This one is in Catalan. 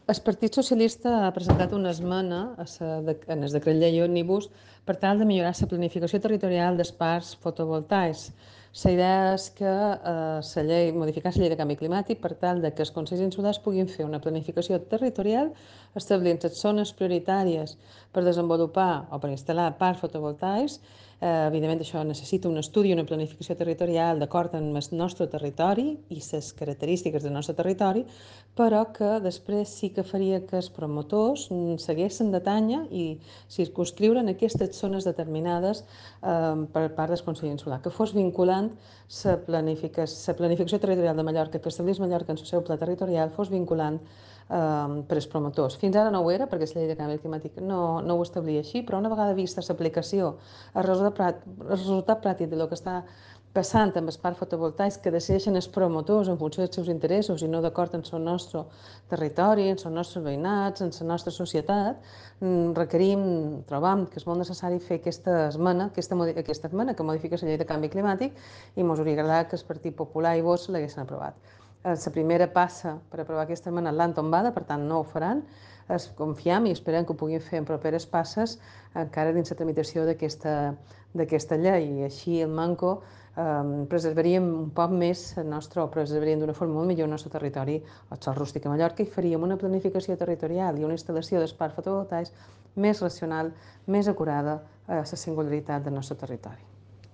El Partit Socialista ha presentat una esmena en el decret llei òmnibus per tal de millorar la planificació territorial dels parcs fotovoltaics. La idea és que modificar la llei de canvi climàtic per tal de que els consells insulars puguin fer una planificació territorial establint les zones prioritàries per desenvolupar o per instal·lar parcs fotovoltaics. Evidentment, això necessita un estudi i una planificació territorial d'acord amb el nostre territori i les característiques del nostre territori, però que després sí que faria que els promotors segueixen de tanya i circunscriuren aquestes zones determinades per part del Consell Insular, que fos vinculant la planificació territorial de Mallorca, que establís Mallorca en el seu pla territorial, fos vinculant per als promotors. Fins ara no ho era, perquè la llei de canvi climàtic no ho establia així, però una vegada vista l'aplicació, el resultat pràctic del que està passant amb els parcs fotovoltaics que decideixen els promotors en funció dels seus interessos i no d'acord amb el nostre territori, amb els nostres veïnats, amb la nostra societat, trobam que és molt necessari fer aquesta esmena que modifica la llei de canvi climàtic i ens hauria agradat que el Partit Popular i Vox l'haguessin aprovat. La primera passa per aprovar aquesta esmena l'han tombada, per tant no ho faran. Confiem i esperem que ho puguin fer en properes passes encara dins la tramitació d'aquesta llei. I així el manco preservaríem un poc més preservaríem d'una forma molt millor el nostre territori, el sòl rústic a Mallorca, i faríem una planificació territorial i una instal·lació dels parcs fotovoltaics més racional, més acurada a la singularitat del nostre territori.